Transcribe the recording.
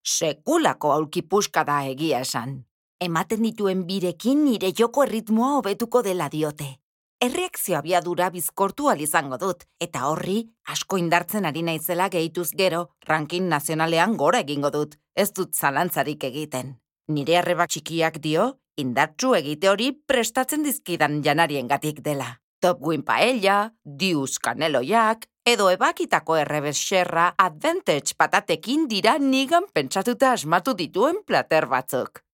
Sekulako aulkipuska da egia esan. Ematen dituen birekin nire joko erritmoa hobetuko dela diote. Erreakzio abiadura bizkortu izango dut, eta horri asko indartzen ari naizela gehituz gero, ranking nazionalean gora egingo dut, ez dut zalantzarik egiten. Nire arreba txikiak dio, indartsu egite hori prestatzen dizkidan janariengatik dela. Top Win paella, Dius kaneloiak, edo ebakitako errebesxerra advantage patatekin dira nigan pentsatuta asmatu dituen plater batzuk.